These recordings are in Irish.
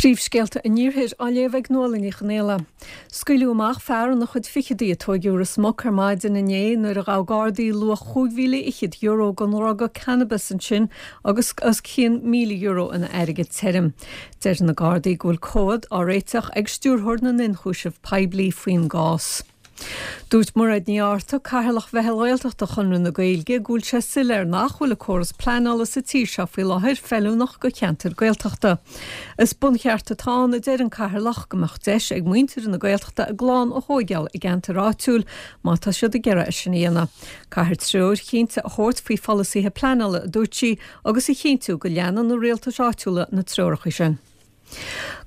Príomhscéalta an Iarthair á léamh ag Nuala Ní Chonaola. Scaoileadh amach fear ina chuid fichidí a tóigeadh i Ros Muc ar maidin inné nuair a ghabh Gardaí luach €25,000 den dhruga cannabis ansin agus os cionn €1,000 ina airgead tirim. Deir na Gardaí go bhfuil comhad á réiteach ag Stiúrthóir na nIonchúiseamh Poiblí faoin gcás. Dúirt Mairéad Ní Fhátharta, Cathaoirleach Mheitheal Ghaeltachta Chonradh na Gaeilge, go bhfuil sé soiléir nach bhfuil an córas pleanála sa tír seo faoi láthair feiliúnach do cheantair Gaeltachta. Is buncheart atá ann, a deir an Cathaoirleach, go mbeadh deis ag muintir na Gaeltachta a gclann a thóigeáil i gceantar áitiúil má tá siad ag iarraidh é sin a dhéanamh. Caithfear treoir chinnte a thabhairt faoi pholasaithe pleanála, a dúirt sí, agus a chinntiú go leanann na rialtais áitiúla na treoracha sin.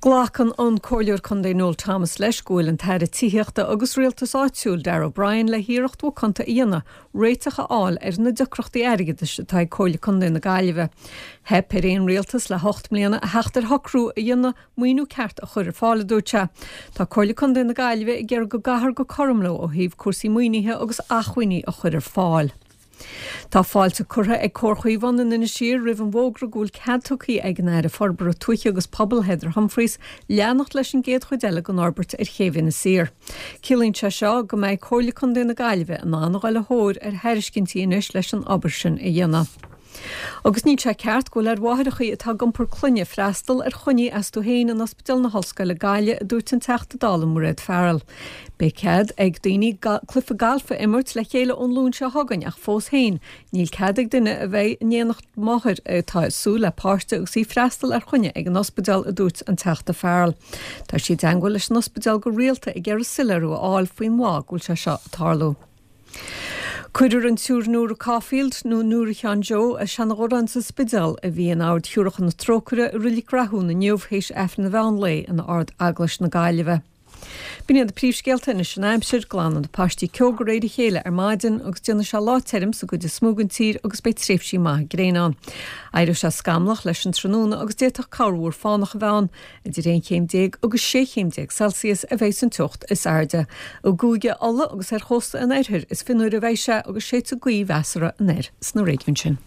Glacann an Comhairleoir Contae Noel Thomas leis go bhfuil an tAire Tithíochta agus Rialtais Áitiúil Darragh O'Brien le hiarracht mhacánta a dhéanamh réiteach a fháil ar na deacrachtaí airgeadais atá ag Comhairle Contae na Gaillimhe. Theip ar aon rialtas le hocht mbliana a theacht ar shocrú a dhéanamh maoiniú ceart a chur ar fáil, a dúirt sé. Tá Comhairle Contae na Gaillimhe ag iarraidh go gcaithfear go cothrom leo ó thaobh cúrsaí maoinithe agus acmhainní a chur ar fáil. Tá fáilte curtha ag Comhar Chaomhán in Inis Oírr roimh an bhfógra go bhfuil cead tugtha ag an Aire Forbartha Tuaithe agus Pobail Heather Humphreys leanacht leis an gcéad chuid eile den fhorbairt ar Chéibh Inis Oírr. Ciallaíonn sé seo go mbeidh Comhairle Contae na Gaillimhe in ann a dhul a thóir ar thairiscintí anois leis an obair sin a dhéanamh. Agus níl sé ceart go bhfuil ar mháithreachaí atá ag iompar clainne freastal ar choinní astu féin in Ospidéal na hOllscoile Gaillimh, a dúirt an Teachta Dála Mairéad Farrell. Beidh cead ag daoine cluiche gailf a imirt le chéile ón Luan seo chugainn ach fós féin níl cead ag duine a bheidh in éineacht máthair atá ag súil le páiste agus í freastal ar choinne ag an ospidéal, a dúirt an Teachta Farrell. Tá sí i dteangmháil leis an ospidéal go rialta ag iarraidh soiléiriú a fháil faoin bhfáth go bhfuil sé seo ag tarlú. Cuirfear an tSiúr Nóra Caulfield, nó Nóra Sheáin Joe, as Seanadh Dhorán sa Spidéal, a bhí in Ord Shiúracha na Trócaire i Reilig Rathún inniu théis Aifreann an mheán lae in Ard-Eaglais na Gaillimhe. B'in iad na príomhscéalta anois an aimsir, glanfaidh na paistí ceo de réir a chéile ar maidin agus déanfaidh sé lá tirim sa gcuid is mó den tír agus beidh tréimhsí maithe gréine ann. Éireoidh sé scamallach leis an tráthnóna agus d'fhéadfadh corrmhúr fánach a bheith ann. Idir 11 chéim agus 16 chéim Celsius a bheidh san teocht is airde. I gCúige Uladh agus ar chósta an oirthir is fionnuaire a bheidh sé agus séidfidh gaoth mheasartha anoir sna réigiúin sin.